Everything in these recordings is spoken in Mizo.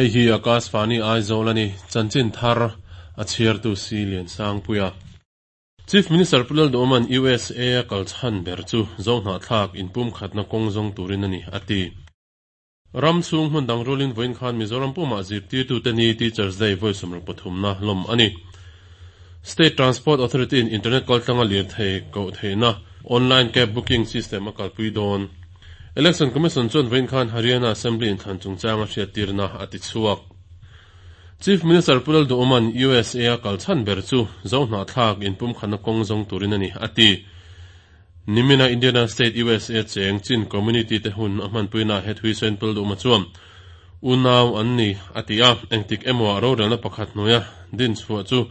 Hei hi Akashvani Aizawl a ni, chanchin thar a chhiartu si Liansangpuia. Chief Minister Pu Lalduhoma'n USA a kal chhan ber chu Zohnahthlak inpumkhatna kawng zawng turin a ni, a ti. Ram chhung hmun dang rualin vawiin khan Mizoram pumah zirtirtute ni Teachers Day vawi sawmruk pathumna lawm a ni. State Transport Authority in internet kaltlanga lirthei koh theihna online cab booking system a kalpui dawn. Election Commission chuan vawiin khan Haryana Assembly inthlan chungchanga hriattirna a ti chhuak. Chief Minister Pu Lalduhoma'n USA a kal chhan ber chu Zohnahthlak inpumkhatna kawng zawng turin a ni, a ti. Nimina Indiana State USA cheng Chin Community te hun a hmanpuinaah he thui sawiin Pu Lalduhoma chuan unau an ni, a ti a, engtik emaw ah rorelna pakhat hnuaia din chhuah chu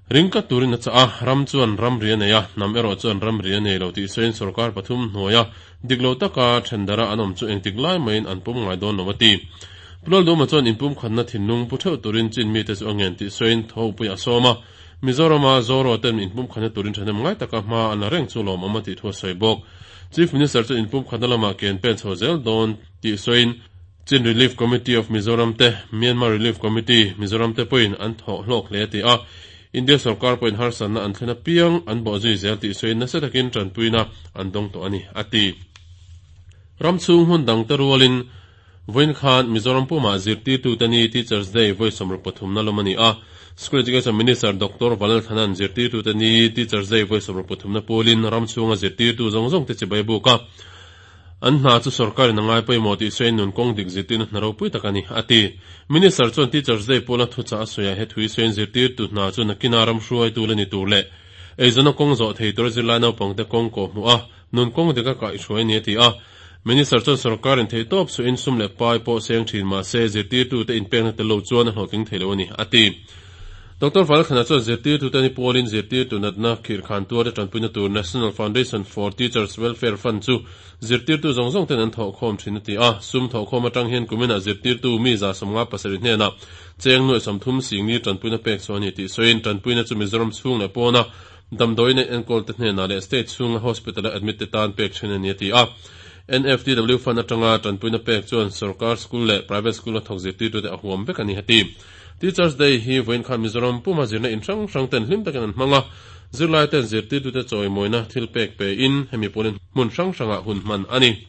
ring tlat turin a chah a, ram chuan ramri a nei a, hnam erawh chuan ramri a nei lo tih sawiin sorkar pathum hnuaia Dik lo taka thendara an awm chu engtik lai maiin an pum ngai dawn lo a ti. Pu Lalduhma chuan inpumkhatna thinlung pu theuh turin Chin mite chu a ngen tih sawiin thawhpui a sawm a, Mizorama Zoro ten inpumkhatna turin thahnem ngai taka hma an la reng chu lawmawm a tih thu a sawi bawk. Chief Minister chuan inpumkhatna lamah ke an pen chho zel dawn tih sawiin Chin Relief Committee of Mizoram te, Myanmar Relief Committee, Mizoram te pawhin an thawh hlawk hle a ti a, India sorkar pawhin harsatna an thlen apiang an bawh zui zel tih sawiin nasa takin tanpuina an dawng tawh a ni, a ti. Ram chhung hmun dangte rualin vawiin khan Mizoram pumah zirtirtute ni Teachers Day vawi sawmruk pathumna lawm a ni a. School Education Minister Doctor Vanlalthanan zirtirtute ni Teachers Day vawi sawmruk pathumna pawlin ram chhunga zirtirtu zawng zawngte chibai buk a. An hna chu sorkarin a ngai pawimawh tih sawiin nun kawng dik zirtirna hna ropui tak a ni, a ti. Minister chuan Teachers Day pawla thuchah a sawiah he thui sawiin zirtirtu hna chu nakina ram hruaitu la ni tur leh eizawnna kawng zawh thei tura zirlai naupangte kawng kawh hmuh a, nun kawng dika kaihhruai a ni a ti a. Minister chuan sorkarin theihtawp suhin sum leh pai pawh seng thin mah se zirtirtute inpekna tel lo chuan a hlawhtling thei lo a ni, a ti. Doctor Valkhana chuan zirtirtute ni pawlin zirtirtu natna khirhkhan tuarte tanpuina tur National Foundation for Teachers Welfare Fund chu zirtirtu zawng zawng ten an thawhkhawm thin a ti a. Sum thawhkhawm atang hian kuminah zirtirtu mi 157 hnenah cheng nuaih 30 singli tanpuina pek chhuah a ni tih sawiin tanpuina chu Mizoram chhung leh pawna damdawiin a enkawl te hnenah leh state chhunga hospital a admit te tan pek thin a ni a ti a. NFTW Fund atanga tanpuina pek chuan sorkar school leh private school a thawk zirtirtute a huam vek a ni a ti. Teachers Day hi vawiin khan Mizoram puma zirna in hrang hrang ten hlim takin an hmang a, zirlai ten zirtirtute chawimawina thil pek pe in hemi pawlin hmun hrang hrangah hun hman a ni.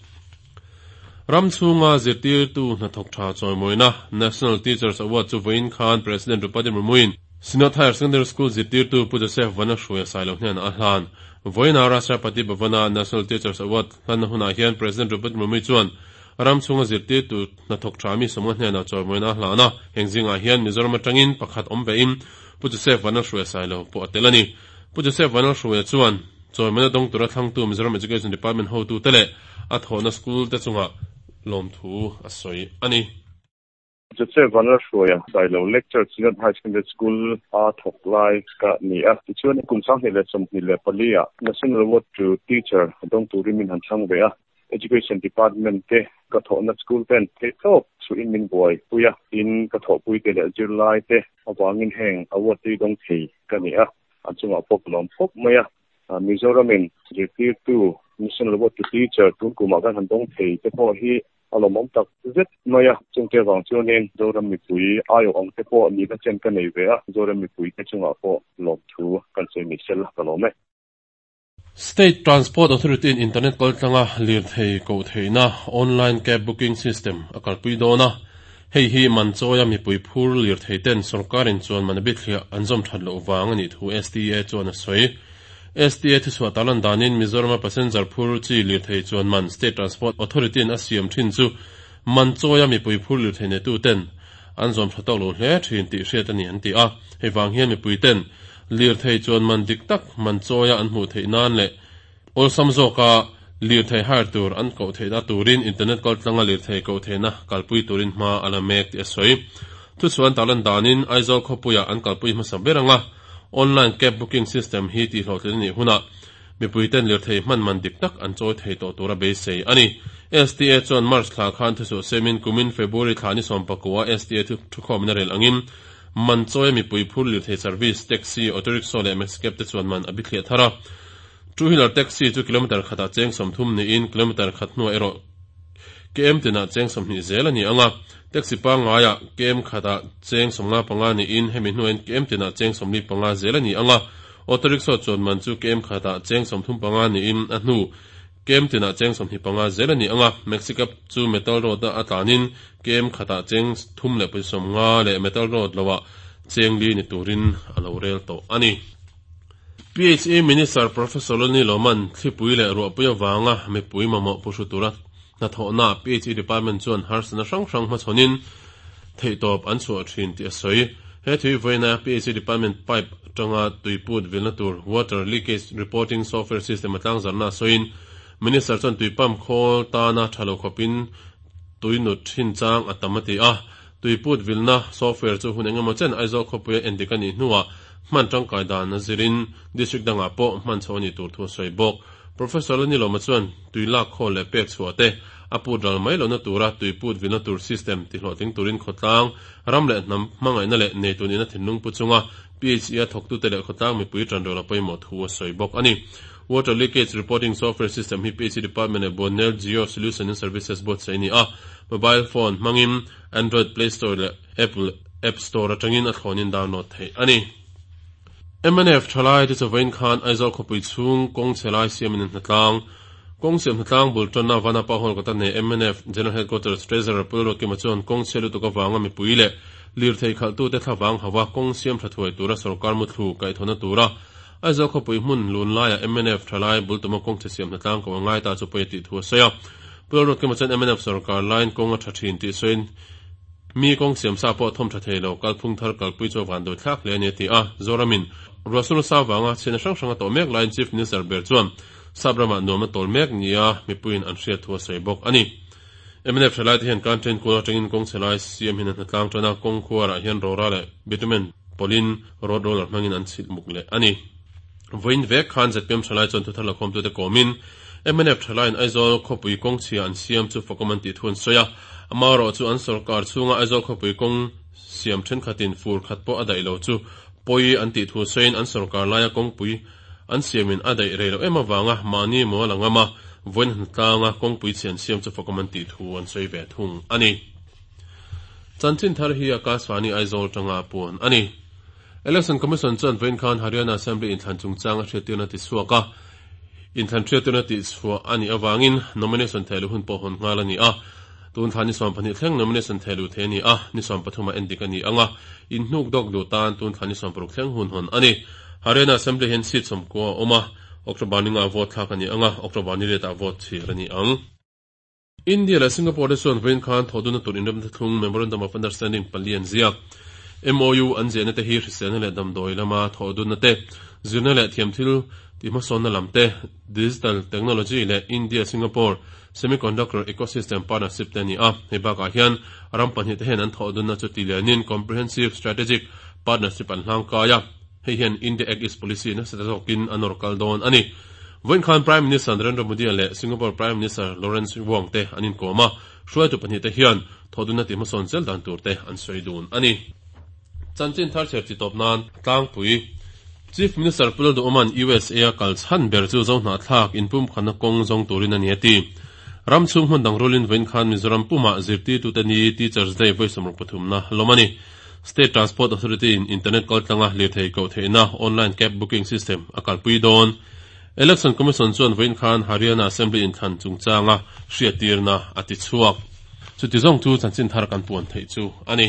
Ram chhunga zirtirtu hnathawk tha chawimawina National Teachers Award chu vawiin khan President Draupadi Murmu-in Synod Higher Secondary School zirtirtu Pu Joseph Vanahruaia Sailo hnenah a hlan. Vawiina Rashtrapati Bhavan-a National Teachers Award hlanna hunah hian President Draupadi Murmu chuan ram chhunga zirtirtu Hnathawk tha mi sawmnga hnenah chawimawina a hlan a, heng zingah hian Mizoram atangin pakhat awm vein Pu Joseph Vanlalhruaia Sailo pawh a tel a ni. Pu Joseph Vanlalhruaia chuan chawimawina dawng tura thlangtu Mizoram Education Department hotute leh a thawhna school te chungah lawmthu a sawi a ni. Joseph Vanlalhruaia Sailo Lecture Synod High Secondary School a thawk lai ka ni a, tichuan kum 2024 ah National Award to Teacher dawng turin min han thlang ve a. Education Department te ka thawhna school ten theihtawp chhuihin min buaipui a, tin ka thawhpui te leh zirlai te avangin heng award te hi dawng thei ka ni a, an chungah pawh ka lawm khawp mai a. Mizoramin zirtirtu National Award to Teacher tun kumah kan han dawng thei te pawh hi a lawmawm tak zet mai a, chungte avang chuanin Zoram mipui aiawh ang te pawh nihna chen ka nei ve a, Zoram mipui te chungah pawh lawmthu kan sawi ni sel ka lawm e. State Transport Authority-in internet kaltlanga lirthei koh theihna online cab booking system a kalpui dawn a, hei hi man chawia mipui phur lirthei ten sorkarin chuan man a bithliah an zawm that loh vang a nih thu STA chuan a sawi. STA thuchhuah tarlan danin Mizorama passenger phur chi lirthei chuan man State Transport Authority-in a siam thin chu man chawia mipui phur lirthei neitu ten an zawm tha tawk lo hle thin tih hriat a ni an ti a, hei vang hian mipui ten Lirthei chuan man dik tak man chawia an hmuh theih nan leh awlsam zawka lirthei hire tur an koh theihna turin internet kaltlanga lirthei koh theihna kalpui turin hma a la mek tih a sawi. Thuchhuah an tarlan danin Aizawl khawpuiah an kalpui hmasa ber anga online cab booking system hi tihhlawhtlin a nih hunah mipuiten lirthei hman man dik tak an chawi thei tawh tura beisei a ni. STA chuan March thla khan thuchhuah semin kumin February thla ni sawmpakua STA thukhawmin a rel angin Man chawia mipui phur lirthei service, taxi, auto rickshaw leh maxi cab te chuan man a bithliah thar a. Two wheeler taxi chu kilometre khatah cheng 30 niin kilometre khat hnuah erawh KM tinah cheng 20 zel a ni ang a, taxi pangngaiah KM khatah cheng 55 niin hemi hnuaiin KM tinah cheng 45 zel a ni ang a, auto rickshaw chuan man chu KM khatah cheng 35 niin a hnu KM tinah cheng 25 zel a ni ang a, maxi cab chu metal road-a a tlanin KM khatah cheng 3.50 leh metal road loah cheng 4 ni turin a lo rel tawh a ni. PHE Minister Professor Loni Loman thlipui leh ruahpui avanga mipui mamawh pu hru tura hnathawhnaah PHE Department chuan harsatna hrang hrang hmachhawnin theihtawp an chhuah thin tih a sawi. He thui vawiina PHE Department pipe atanga tuiput vilna tur Water Leakage Reporting Software System a tlangzarhna a sawiin Minister chuan tui pump khawl tana tha lo khawpin tui nut thin chang a tam a ti a. Tuiput vilna software chu hun engemaw chen Aizawl khawpuia endik a nih hnuah hman tangkai dan a zirin district dangah pawh hman chhoh a nih tur thu a sawi bawk. Professor Lanilawma chuan tui lak khawl leh pek chhuah te a put ral mai lohna tura tuiput vilna tur system tihlawhtling turin khawtlang, ram leh hnam hmangaihna leh neitu nihna thinlung pu chunga PHE-a thawktute leh khawtlang mipui tanrual a pawimawh thu a sawi bawk a ni. Water Leakage Reporting Software System hi PHE Department leh Buannel Geo Solution and Services buatsaih a ni a, mobile phone hmangin Android Play Store leh Apple App Store atangin a thlawnin download theih a ni. Mnf thalai te chawvain khan Aizawl khawpui chhung kawng chhe lai siamin an hnatlang. Kawng siam hnatlang bul tanna Vanapa Hall kawta nei mnf General Headquarters Treasurer Pu Lalruatkima chuan kawng chhe lutuk avanga mipui leh lirthei khalhtute thlavang hauva kawng siam tha thuai tura sorkar muthlu kaihthawhna tura Aizawl khawpui hmun lun laiah mnf thalai bul tuma kawng chhe siam hnatlang ko a ngai ta chu pawi a tih thu a sawi a. Pu Lalruatkima chuan mnf sorkar laiin kawng a tha thin tih sawiin mi kawng siam sa pawh thawm tha thei lo, kalphung thar kalpui chu a van dawi thlak hle a ni a ti a. Zoramin ruahsur nasa avanga chhiatna hrang hrang a tawh mek laiin Chief Minister ber chuan sap ramah nuam a tawl mek nia mipuiin an hriat thu a sawi bawk a ni. Mnf thalaite hian kan train kual atangin kawng chhe lai siam hian an hnatlang tan a, kawng khuarah hian rora leh bitumen pawlhin road roller hmangin an chhilh muk leh a ni. Vawiin vek khan zpm thalai chuan thuthar lakhawmtute kawmin mnf thalaiin Aizawl khawpui kawng chhia an siam chu fakawm an tih thu an sawi a, amaherawh chu an sorkar chhunga Aizawl khawpui kawng siam thenkhatin fur khat pawh a daih lo chu pawi an tih thu sawiin an sorkar laia kawngpui An siamin a daih rei loh em avanga mahni maw la ngam a, vawiin hnatlanga kawngpui chhe an siam chu fakawm an tih thu an sawi ve thung a ni. Chanchin thar hi Akashvani Aizawl tanga puan a ni. Election Commission chuan vawiin khan Haryana Assembly inthlan chungchang a hriattirna ti chhuak a, inthlan hriattirna tih chhuah a nih avangin nomination thehluh hun pawh hawn nghal a ni a. Tun thla ni 12 thleng nomination thehluh thei a ni a, ni 13 ah endik a ni ang a, inhnuk dawk duh tan tun thla ni 16 thleng hun hawn a ni. Haryana Assembly hian seat 90 a awm a, October ni ngah vote thlak a ni ang a, October ni riatah vote chhir a ni ang. India leh Singapore te chuan vawiin khan thawhdunna tur inremna thlung Memorandum of Understanding pali an ziak. MOU an ziahna te hi hriselna leh damdawi lama thawhdunna te, zirna leh thiamthil tihhmasawnna lam te, digital technology leh India-Singapore semiconductor ecosystem partnership te a ni a. Hei bakah hian ram pahnih te hian an thawhdunna chu tilianin Comprehensive Strategic Partnership an hlangkai a. Hei hian India Act East Policy nasa ta zawkin a nawr kal dawn a ni. Vawiin khan Prime Minister Narendra Modi leh Singapore Prime Minister Lawrence Wong te an inkawm a, hruaitu pahnih te hian thawhdunna tihhmasawn zel dan tur te an sawi dun a ni. Chanchin thar chher chi tawp nan tlangpui Chief Minister Pu Lalduhawma'n USA a kal chhan ber chu Zohnahthlak inpumkhatna kawng zawng turin a ni a ti. Ram chhung hmun dang rulin vawiin khan Mizoram pumah zirtirtute ni Teachers Day vawi 63na lawm a ni. State Transport Authority in internet kaltlanga lirthei koh theihna online cab booking system a kalpui dawn. Election Commission chuan vawiin khan Haryana Assembly inthlan chungchanga hriattirna a ti chhuak. Chuti zawng chu chanchin thar kan puan theih chu a ni.